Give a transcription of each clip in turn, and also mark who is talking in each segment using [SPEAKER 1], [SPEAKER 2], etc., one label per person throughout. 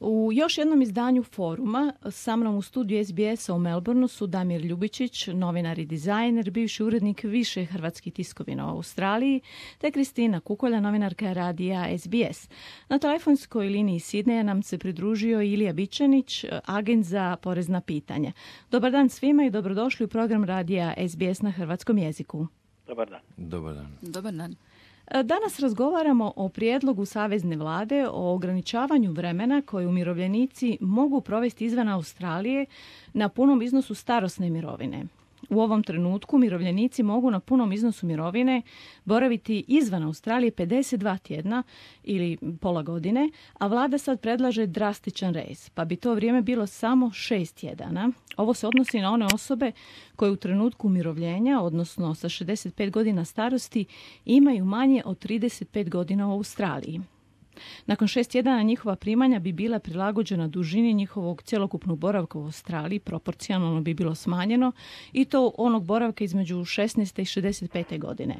[SPEAKER 1] U još jednom izdanju foruma sa mnom u studiju SBS-a u Melbourneu su Damir Ljubičić, novinar i dizajner, bivši urednik više hrvatskih tiskovina u Australiji, te Kristina Kukolja, novinarka radija SBS. Na telefonskoj liniji Sidneja nam se pridružio Ilija Bičanić, agent za porezna pitanja. Dobar dan svima i dobrodošli u program radija SBS na hrvatskom jeziku.
[SPEAKER 2] Dobar dan.
[SPEAKER 3] Dobar dan.
[SPEAKER 4] Dobar dan.
[SPEAKER 1] Danas razgovaramo o prijedlogu Savezne vlade o ograničavanju vremena koje umirovljenici mogu provesti izvan Australije na punom iznosu starosne mirovine. U ovom trenutku umirovljenici mogu na punom iznosu mirovine boraviti izvan Australije 52 tjedna ili pola godine, a vlada sad predlaže drastičan rez, pa bi to vrijeme bilo samo 6 tjedana. Ovo se odnosi na one osobe koje u trenutku umirovljenja, odnosno sa 65 godina starosti, imaju manje od 35 godina u Australiji. Nakon 6 tjedana njihova primanja bi bila prilagođena dužini njihovog cjelokupnog boravka u Australiji, proporcionalno bi bilo smanjeno i to onog boravka između 16. i 65. godine.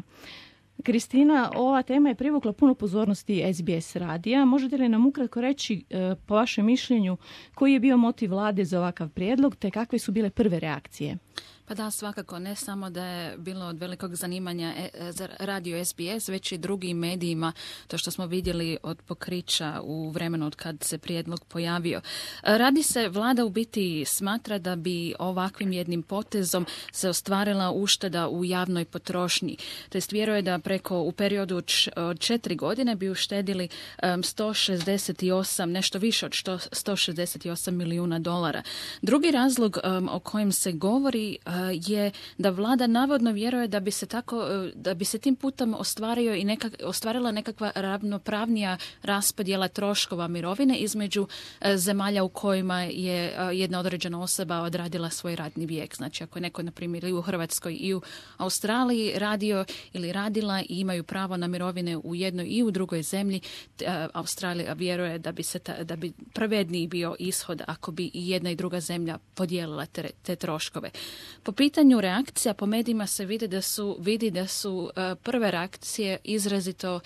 [SPEAKER 1] Kristina, ova tema je privukla puno pozornosti SBS radija. Možete li nam ukratko reći, po vašem mišljenju, koji je bio motiv vlade za ovakav prijedlog, te kakve su bile prve reakcije?
[SPEAKER 4] Pa da, svakako, ne samo da je bilo od velikog zanimanja za radio SBS, već i drugim medijima, to što smo vidjeli od pokrića u vremenu od kad se prijedlog pojavio. Radi se, vlada u biti smatra da bi ovakvim jednim potezom se ostvarila ušteda u javnoj potrošnji. To jest vjeruje da u periodu od 4 godine bi uštedili 168, nešto više od 168 milijuna dolara. Drugi razlog o kojem se govori je da vlada navodno vjeruje da bi se tim putem ostvarila nekakva ravnopravnija raspodjela troškova mirovine između zemalja u kojima je jedna određena osoba odradila svoj radni vijek. Znači ako je neko, na primjer, i u Hrvatskoj i u Australiji radio ili radila i imaju pravo na mirovine u jednoj i u drugoj zemlji, Australija vjeruje da bi pravedniji bio ishod ako bi i jedna i druga zemlja podijelila te troškove. Po pitanju reakcija po medijima se vidi da su prve reakcije izrazito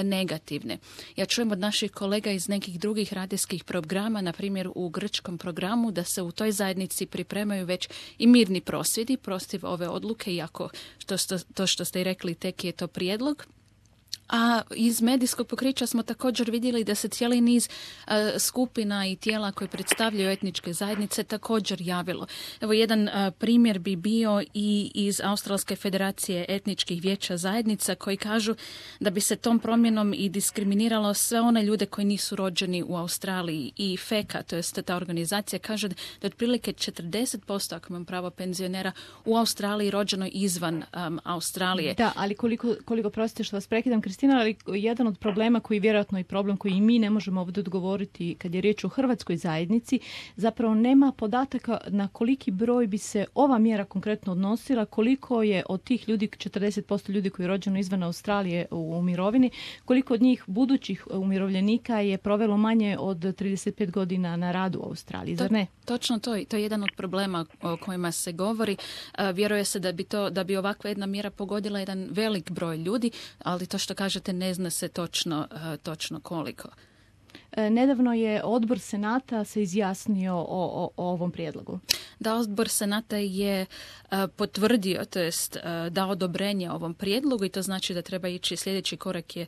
[SPEAKER 4] negativne. Ja čujem od naših kolega iz nekih drugih radijskih programa, na primjer u grčkom programu, da se u toj zajednici pripremaju već i mirni prosvjedi protiv ove odluke, iako to što ste i rekli tek je to prijedlog. A iz medijskog pokrića smo također vidjeli da se cijeli niz skupina i tijela koje predstavljaju etničke zajednice također javilo. Evo jedan primjer bi bio i iz Australske federacije etničkih vijeća zajednica koji kažu da bi se tom promjenom i diskriminiralo sve one ljude koji nisu rođeni u Australiji. I FECA, to jest ta organizacija, kaže da otprilike 40%, ako imam pravo, penzionera u Australiji rođeno izvan Australije.
[SPEAKER 1] Da, ali koliko prostite što vas prekidam, Kristina, ali jedan od problema koji je vjerojatno i problem koji i mi ne možemo ovdje odgovoriti kad je riječ o hrvatskoj zajednici, zapravo nema podataka na koliki broj bi se ova mjera konkretno odnosila, koliko je od tih ljudi, 40% ljudi koji je rođeno izvan Australije u mirovini, koliko od njih budućih umirovljenika je provelo manje od 35 godina na radu u Australiji, zar ne?
[SPEAKER 4] Točno to je jedan od problema o kojima se govori. Vjeruje se da bi ovakva jedna mjera pogodila jedan velik broj ljudi, ali to što kažete ne zna se točno koliko.
[SPEAKER 1] Nedavno je odbor Senata se izjasnio o ovom prijedlogu.
[SPEAKER 4] Da, odbor Senata je potvrdio, to jest dao odobrenje ovom prijedlogu i to znači da treba ići, sljedeći korak je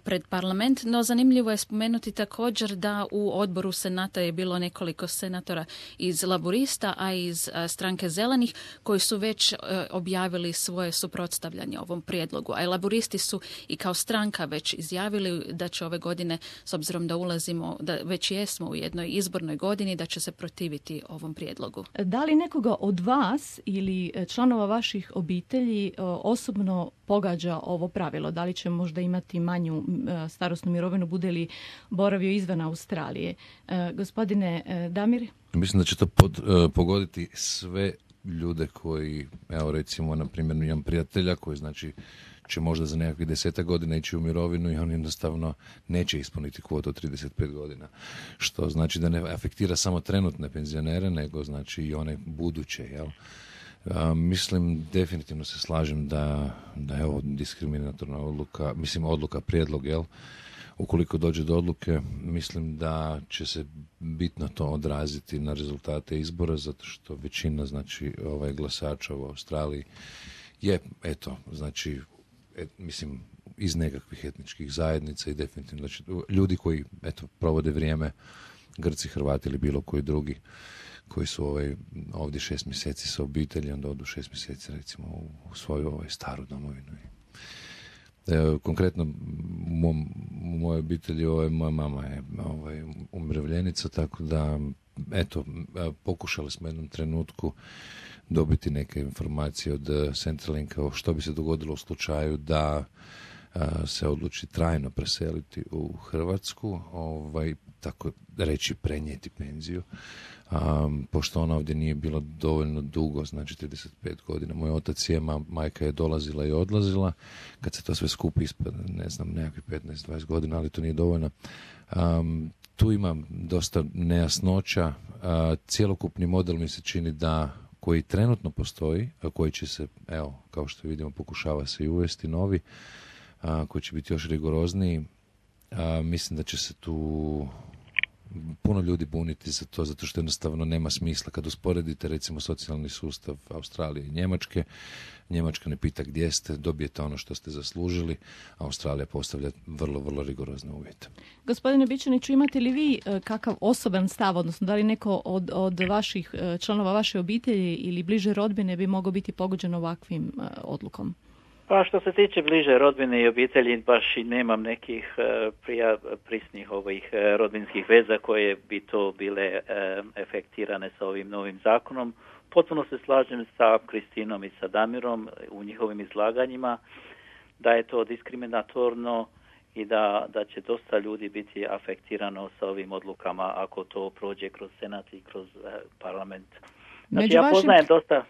[SPEAKER 4] pred parlament, no zanimljivo je spomenuti također da u odboru Senata je bilo nekoliko senatora iz Laburista, a iz stranke Zelenih koji su već objavili svoje suprotstavljanje ovom prijedlogu. A i Laburisti su i kao stranka već izjavili da će ove godine, s obzirom da da već jesmo u jednoj izbornoj godini, da će se protiviti ovom prijedlogu.
[SPEAKER 1] Da li nekoga od vas ili članova vaših obitelji osobno pogađa ovo pravilo? Da li će možda imati manju starosnu mirovinu bude li boravio izvan Australije? Gospodine Damir?
[SPEAKER 3] Mislim da će to pogoditi sve ljude koji, evo recimo, na primjer, imam prijatelja koji znači će možda za nekakvih 10 godina ići u mirovinu i on jednostavno neće ispuniti kvotu od 35 godina. Što znači da ne afektira samo trenutne penzionere, nego znači i one buduće, jel? Mislim, definitivno se slažem da je ovo diskriminatorna odluka, prijedlog, jel? ukoliko dođe do odluke, mislim da će se bitno to odraziti na rezultate izbora, zato što većina, znači, glasača u Australiji je, znači, mislim, iz nekakvih etničkih zajednica i definitivno, znači, ljudi koji, provode vrijeme, Grci, Hrvati ili bilo koji drugi, koji su ovdje 6 mjeseci sa obitelji, onda odu 6 mjeseci, recimo, u svoju staru domovinu. Konkretno u mojoj obitelji moja mama je umirovljenica, tako da pokušali smo u jednom trenutku dobiti neke informacije od Centralinka o što bi se dogodilo u slučaju da se odluči trajno preseliti u Hrvatsku, tako reći prenijeti penziju, pošto ona ovdje nije bila dovoljno dugo, znači 35 godina. Moj otac je, majka je dolazila i odlazila, kad se to sve skupi ispada, ne znam, nekakvih 15-20 godina, ali to nije dovoljno. Tu ima dosta nejasnoća, cjelokupni model mi se čini da koji trenutno postoji, a koji će se, kao što vidimo, pokušava se i uvesti novi, koji će biti još rigorozniji. Mislim da će se tu puno ljudi buniti za to, zato što jednostavno nema smisla. Kad usporedite, recimo, socijalni sustav Australije i Njemačke, Njemačka ne pita gdje ste, dobijete ono što ste zaslužili, a Australija postavlja vrlo, vrlo rigorozne uvjete.
[SPEAKER 1] Gospodine Bičaniću, imate li vi kakav osoban stav, odnosno da li neko od vaših članova vaše obitelji ili bliže rodbine bi mogao biti pogođen ovakvim odlukom?
[SPEAKER 2] Pa što se tiče bliže rodbine i obitelji, baš i nemam nekih prisnih rodbinskih veza koje bi to bile efektirane sa ovim novim zakonom. Potpuno se slažem sa Kristinom i sa Damirom u njihovim izlaganjima da je to diskriminatorno i da će dosta ljudi biti afektirano sa ovim odlukama ako to prođe kroz Senat i kroz parlament. Znači, ja poznajem dosta,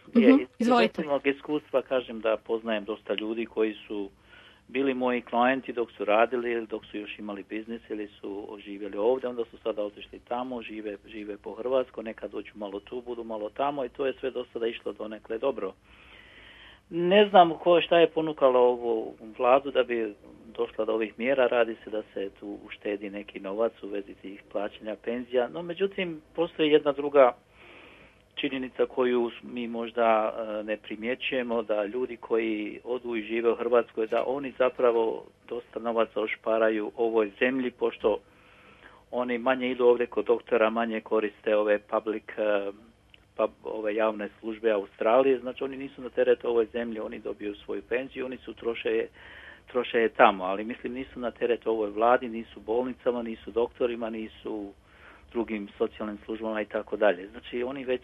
[SPEAKER 2] iz osobnog iskustva kažem da poznajem dosta ljudi koji su bili moji klijenti dok su radili ili dok su još imali biznis ili su živjeli ovdje, onda su sada otišli tamo, žive po Hrvatskoj, nekad dođu malo tu, budu malo tamo i to je sve do sada išlo donekle dobro. Ne znam šta je ponukalo ovu vladu da bi došla do ovih mjera, radi se da se tu uštedi neki novac u vezi tih plaćanja penzija, no međutim postoji jedna druga činjenica koju mi možda ne primjećujemo, da ljudi koji odu i žive u Hrvatskoj, da oni zapravo dosta novaca ošparaju ovoj zemlji, pošto oni manje idu ovdje kod doktora, manje koriste ove ove javne službe Australije, znači oni nisu na teret ovoj zemlji, oni dobiju svoju penziju, oni su troše je tamo, ali mislim nisu na teret ovoj vladi, nisu bolnicama, nisu doktorima, nisu drugim socijalnim službama i tako dalje. Znači oni već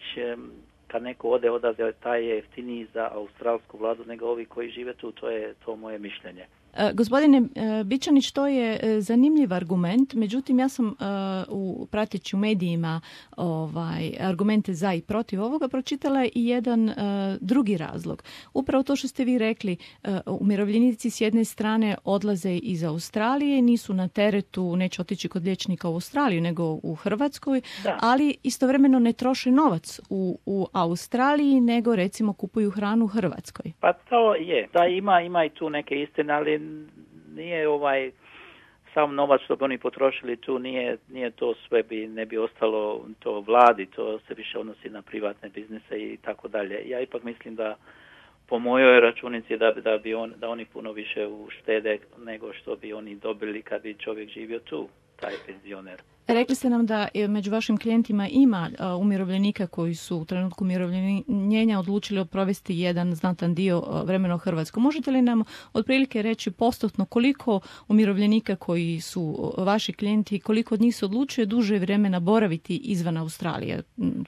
[SPEAKER 2] kad neko odavde, taj je jeftiniji za australsku vladu nego ovi koji žive tu, to je to moje mišljenje.
[SPEAKER 1] Gospodine Bičanić, to je zanimljiv argument, međutim ja sam prateći u medijima argumente za i protiv ovoga pročitala i jedan drugi razlog. Upravo to što ste vi rekli, umirovljenici s jedne strane odlaze iz Australije, nisu na teretu, neće otići kod liječnika u Australiju nego u Hrvatskoj, ali istovremeno ne troše novac u Australiji nego recimo kupuju hranu u Hrvatskoj.
[SPEAKER 2] Pa to je, da ima i tu neke istine, ali nije sam novac što bi oni potrošili tu, nije to sve, ne bi ostalo to vladi, to se više odnosi na privatne biznise i tako dalje. Ja ipak mislim da po mojoj računici da oni puno više uštede nego što bi oni dobili kad bi čovjek živio tu, taj penzioner.
[SPEAKER 1] Rekli ste nam da među vašim klijentima ima umirovljenika koji su u trenutku umirovljenja odlučili provesti jedan znatan dio vremena u Hrvatskoj. Možete li nam otprilike reći postotno koliko umirovljenika koji su vaši klijenti, koliko od njih se odlučuje duže vremena boraviti izvan Australije,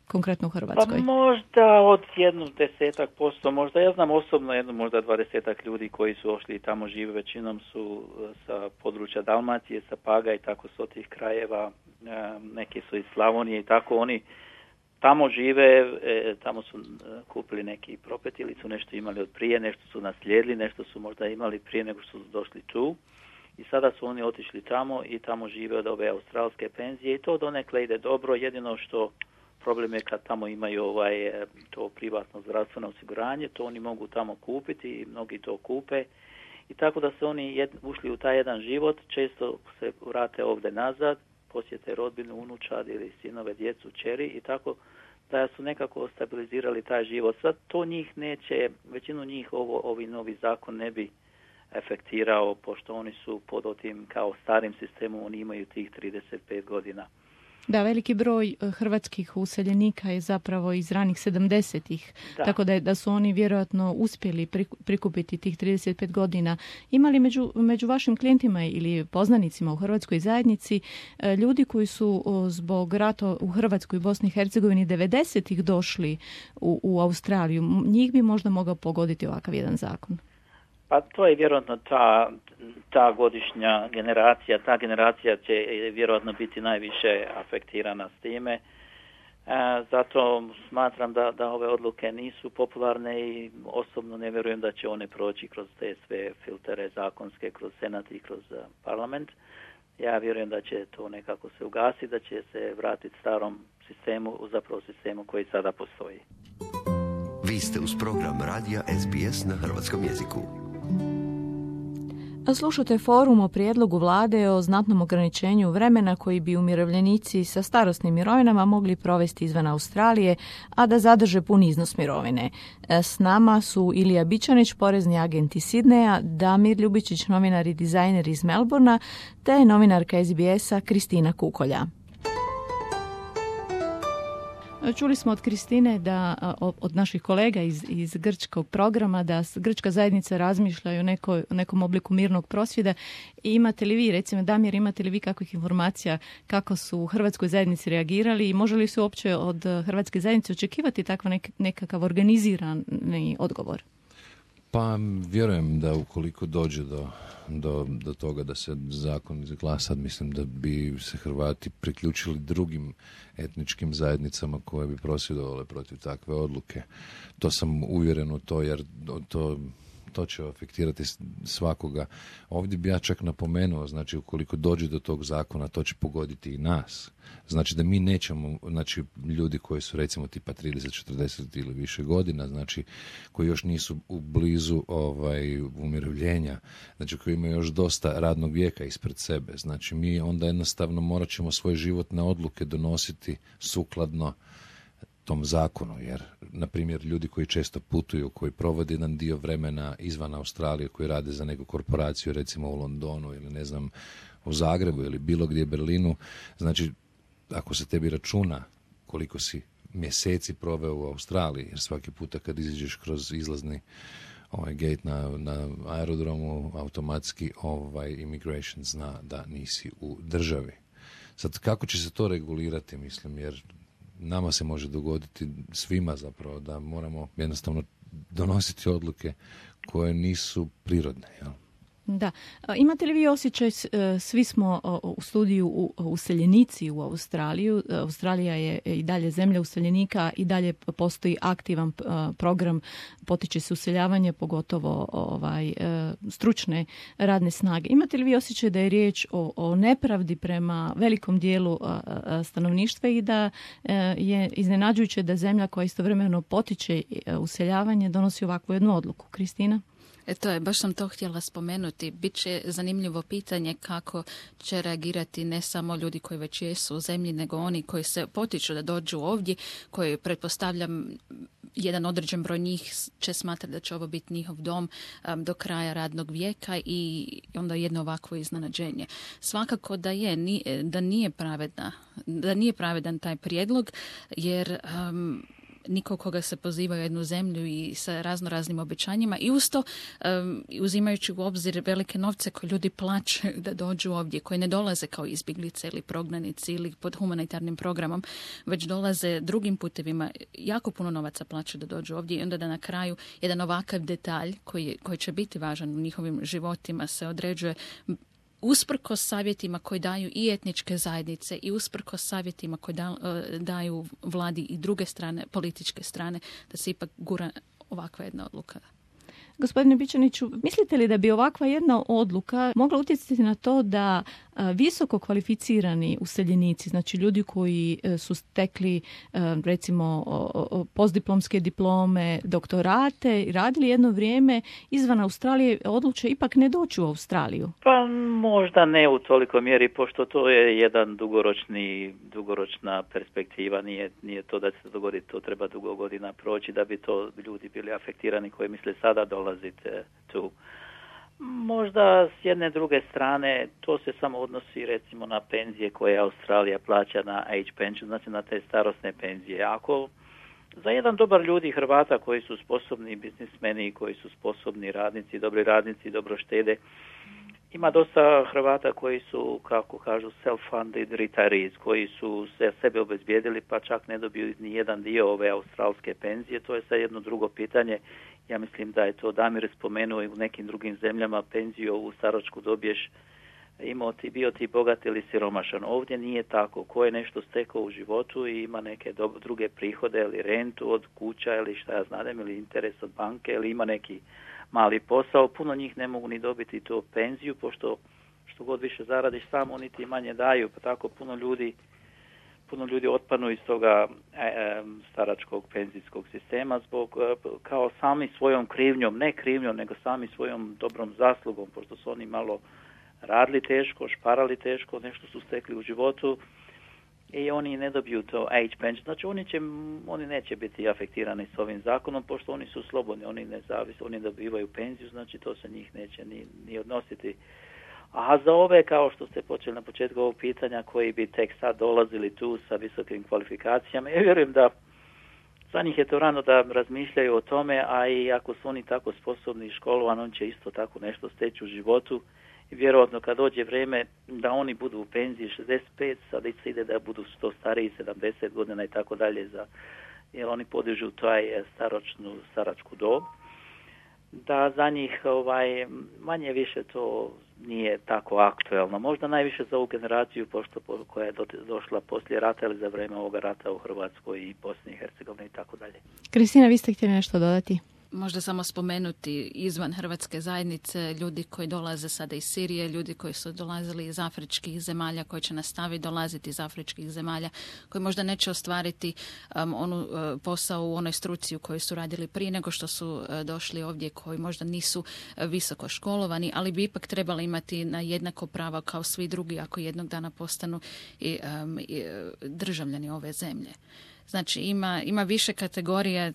[SPEAKER 1] konkretno u Hrvatskoj?
[SPEAKER 2] Pa možda od 10%, možda ja znam osobno možda 20 ljudi koji su ošli i tamo žive, većinom su sa područja Dalmacije, sa Paga i tako s tih krajeva. Neki su iz Slavonije i tako, oni tamo žive, tamo su kupili neki propet ili su nešto imali od prije, nešto su naslijedili, nešto su možda imali prije nego što su došli tu i sada su oni otišli tamo i tamo žive od ove australske penzije i to donekle ide dobro, jedino što problem je kad tamo imaju to privatno zdravstveno osiguranje, to oni mogu tamo kupiti i mnogi to kupe i tako da su oni ušli u taj jedan život, često se vrate ovdje nazad, posjete rodbinu, unučad ili sinove, djecu, čeri i tako da su nekako stabilizirali taj život. Sad to njih neće, većinu njih ovi novi zakon ne bi efektirao, pošto oni su pod tim kao starim sistemom, oni imaju tih 35 godina.
[SPEAKER 1] Da, veliki broj hrvatskih useljenika je zapravo iz ranih 70-ih, tako da su oni vjerojatno uspjeli prikupiti tih 35 godina. Ima li među vašim klijentima ili poznanicima u hrvatskoj zajednici ljudi koji su zbog rata u Hrvatskoj i Bosni i Hercegovini 90-ih došli u Australiju? Njih bi možda mogao pogoditi ovakav jedan zakon.
[SPEAKER 2] Pa to je vjerojatno ta godišnja generacija, ta generacija će vjerojatno biti najviše afektirana s time. Zato smatram da ove odluke nisu popularne i osobno ne vjerujem da će one proći kroz te sve filtere zakonske, kroz Senat i kroz parlament. Ja vjerujem da će to nekako se ugasiti, da će se vratiti starom sistemu, zapravo sistemu koji sada postoji.
[SPEAKER 5] Vi ste uz program radija SBS na hrvatskom jeziku.
[SPEAKER 1] Slušate forum o prijedlogu vlade o znatnom ograničenju vremena koji bi umirovljenici sa starosnim mirovinama mogli provesti izvan Australije, a da zadrže pun iznos mirovine. S nama su Ilija Bičanić, porezni agent iz Sidneja, Damir Ljubičić, novinar i dizajner iz Melbourna, te novinarka SBS-a Kristina Kukolja. Čuli smo od Kristine od naših kolega iz grčkog programa da grčka zajednica razmišlja o nekom obliku mirnog prosvjeda. I imate li vi, recimo Damir, imate li vi kakvih informacija kako su u hrvatskoj zajednici reagirali i može li se uopće od hrvatske zajednice očekivati takav nekakav organizirani odgovor?
[SPEAKER 3] Pa vjerujem da ukoliko dođe do toga da se zakon izglasa, mislim da bi se Hrvati priključili drugim etničkim zajednicama koje bi prosvjedovale protiv takve odluke. To sam uvjeren u to, jer to će afektirati svakoga. Ovdje bi ja čak napomenuo, znači ukoliko dođe do tog zakona, to će pogoditi i nas. Znači da mi nećemo, znači ljudi koji su recimo tipa 30, 40 ili više godina, znači koji još nisu u blizu umirovljenja, znači koji imaju još dosta radnog vijeka ispred sebe. Znači mi onda jednostavno morat ćemo svoje životne odluke donositi sukladno tom zakonu, jer, na primjer, ljudi koji često putuju, koji provode jedan dio vremena izvan Australije, koji rade za neku korporaciju, recimo u Londonu ili ne znam, u Zagrebu ili bilo gdje Berlinu, znači, ako se tebi računa koliko si mjeseci proveo u Australiji, jer svaki puta kad izađeš kroz izlazni gate na aerodromu, automatski immigration zna da nisi u državi. Sad, kako će se to regulirati, mislim, jer nama se može dogoditi svima zapravo da moramo jednostavno donositi odluke koje nisu prirodne. Jel?
[SPEAKER 1] Da. Imate li vi osjećaj, svi smo u studiju useljenici u Australiju. Australija je i dalje zemlja useljenika i dalje postoji aktivan program, potiče se useljavanje, pogotovo stručne radne snage. Imate li vi osjećaj da je riječ o nepravdi prema velikom dijelu stanovništva i da je iznenađujuće da zemlja koja istovremeno potiče useljavanje donosi ovakvu jednu odluku? Kristina?
[SPEAKER 4] Baš sam to htjela spomenuti. Biće zanimljivo pitanje kako će reagirati ne samo ljudi koji već jesu u zemlji, nego oni koji se potiču da dođu ovdje, koji pretpostavljam jedan određen broj njih će smatrati da će ovo biti njihov dom do kraja radnog vijeka i onda jedno ovakvo iznenađenje. Svakako da nije pravedan taj prijedlog, jer niko koga se poziva u jednu zemlju i sa raznoraznim obećanjima i uz to uzimajući u obzir velike novce koje ljudi plaćaju da dođu ovdje, koji ne dolaze kao izbjeglice ili prognanici ili pod humanitarnim programom, već dolaze drugim putevima, jako puno novaca plaćaju da dođu ovdje i onda da na kraju jedan ovakav detalj koji će biti važan u njihovim životima se određuje usprkos savjetima koje daju i etničke zajednice i usprkos savjetima koje daju vladi i druge strane, političke strane, da se ipak gura ovakva jedna odluka.
[SPEAKER 1] Gospodine Bičaniću, mislite li da bi ovakva jedna odluka mogla utjecati na to da visoko kvalificirani useljenici, znači ljudi koji su stekli recimo postdiplomske diplome, doktorate i radili jedno vrijeme izvan Australije, odluče ipak ne doći u Australiju?
[SPEAKER 2] Pa možda ne u toliko mjeri, pošto to je jedan dugoročna perspektiva, nije to da se dogodi, to treba dugo godina proći da bi to ljudi bili afektirani koji misle sada dolaziti tu. Možda s jedne druge strane to se samo odnosi recimo na penzije koje Australija plaća na age pension, znači na te starosne penzije. Ako za jedan dobar ljudi Hrvata koji su sposobni biznismeni, koji su sposobni radnici, dobri radnici, dobro štede, ima dosta Hrvata koji su, kako kažu, self-funded retirees, koji su se sebe obezbijedili pa čak ne dobiju ni jedan dio ove australske penzije. To je sad jedno drugo pitanje. Ja mislim da je to Damir spomenuo i u nekim drugim zemljama penziju u staračku dobiješ bio ti bogat ili siromašan. Ovdje nije tako. Ko je nešto stekao u životu i ima neke druge prihode ili rentu od kuća ili šta ja znam, ili interes od banke ili ima neki mali posao, puno njih ne mogu ni dobiti tu penziju, pošto što god više zaradiš sam, oni ti manje daju, pa tako puno ljudi otpadnu iz toga staračkog penzijskog sistema zbog kao sami svojom krivnjom, ne krivnjom, nego sami svojom dobrom zaslugom, pošto su oni malo radili teško, šparali teško, nešto su stekli u životu i oni ne dobiju to age pension. Znači oni neće biti afektirani s ovim zakonom, pošto oni su slobodni, oni nezavisni, oni dobivaju penziju, znači to se njih neće ni odnositi. A za ove, kao što ste počeli na početku ovog pitanja, koji bi tek sad dolazili tu sa visokim kvalifikacijama, ja vjerujem da za njih je to rano da razmišljaju o tome, a i ako su oni tako sposobni i školovani, on će isto tako nešto steći u životu. I vjerojatno kad dođe vrijeme da oni budu u penziji 65, sad se ide da budu 100 stariji, 70 godina i tako dalje, jer oni podižu taj staračku dob, da za njih manje više to nije tako aktuelno. Možda najviše za ovu generaciju koja je došla poslije rata ili za vrijeme ovoga rata u Hrvatskoj i Bosni i Hercegovini i tako dalje.
[SPEAKER 1] Kristina, vi ste htjeli nešto dodati?
[SPEAKER 4] Možda samo spomenuti izvan hrvatske zajednice ljudi koji dolaze sada iz Sirije, ljudi koji su dolazili iz afričkih zemalja, koji će nastaviti dolaziti iz afričkih zemalja, koji možda neće ostvariti posao u onoj struci u kojoj su radili prije nego što su došli ovdje, koji možda nisu visoko školovani, ali bi ipak trebali imati na jednako prava kao svi drugi ako jednog dana postanu i državljani ove zemlje. Znači ima više kategorija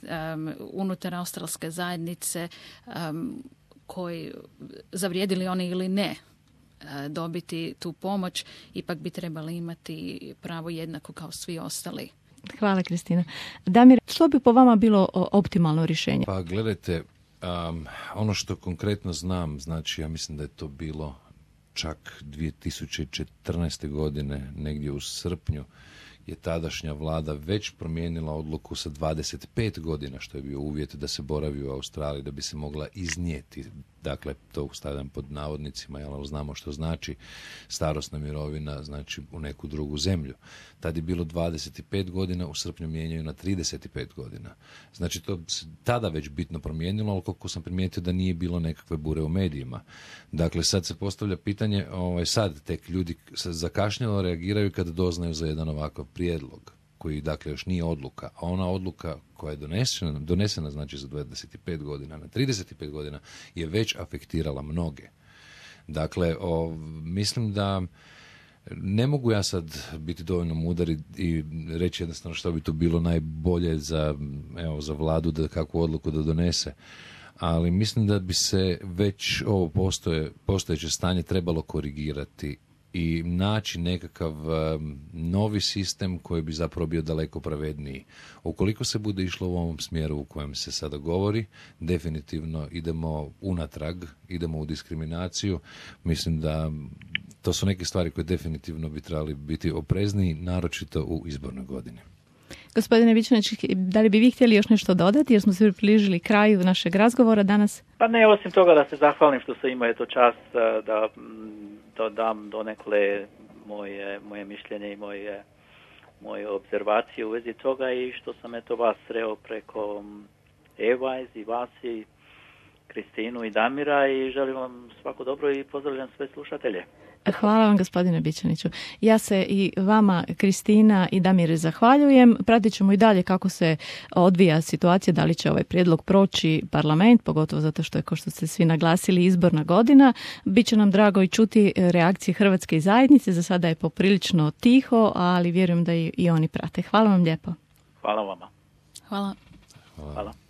[SPEAKER 4] unutar australske zajednice koji zavrijedili oni ili ne dobiti tu pomoć, ipak bi trebali imati pravo jednako kao svi ostali.
[SPEAKER 1] Hvala, Kristina. Damir, što bi po vama bilo optimalno rješenje?
[SPEAKER 3] Pa gledajte, ono što konkretno znam, znači ja mislim da je to bilo čak 2014. godine, negdje u srpnju, je tadašnja vlada već promijenila odluku sa 25 godina, što je bio uvjet da se boravi u Australiji, da bi se mogla iznijeti, dakle, to stavljam pod navodnicima, jer znamo što znači starosna mirovina, znači u neku drugu zemlju. Tad je bilo 25 godina, u srpnju mijenjaju na 35 godina. Znači, to se tada već bitno promijenilo, ali koliko sam primijetio da nije bilo nekakve bure u medijima. Dakle, sad se postavlja pitanje, sad tek ljudi zakašnjelo reagiraju kada doznaju za jedan ovakav prijedlog, koji dakle još nije odluka, a ona odluka koja je donesena znači za 25 godina na 35 godina je već afektirala mnoge. Dakle, mislim da ne mogu ja sad biti dovoljno mudar i reći jednostavno što bi to bilo najbolje za vladu da kakvu odluku da donese. Ali mislim da bi se već ovo postojeće stanje trebalo korigirati i naći nekakav novi sistem koji bi zapravo bio daleko pravedniji. Ukoliko se bude išlo u ovom smjeru u kojem se sada govori, definitivno idemo unatrag, idemo u diskriminaciju. Mislim da to su neke stvari koje definitivno bi trebali biti oprezniji, naročito u izbornoj godini.
[SPEAKER 1] Gospodine Vičanić, da li bi vi htjeli još nešto dodati, jer smo se približili kraju našeg razgovora dadanas?
[SPEAKER 2] Pa ne, osim toga da se zahvalim što sam imao čast da dam donekle moje mišljenje i moje obzervacije u vezi toga i što sam vas sreo preko Evajz i vas i Kristinu i Damira i želim vam svako dobro i pozdravljam sve slušatelje.
[SPEAKER 1] Hvala vam, gospodine Bičaniću. Ja se i vama, Kristina i Damire, zahvaljujem. Pratit ćemo i dalje kako se odvija situacija, da li će ovaj prijedlog proći parlament, pogotovo zato što je, kao što ste svi naglasili, izborna godina. Biće nam drago i čuti reakcije Hrvatske zajednice. Za sada je poprilično tiho, ali vjerujem da i oni prate. Hvala vam lijepo.
[SPEAKER 2] Hvala vama.
[SPEAKER 4] Hvala.
[SPEAKER 2] Hvala.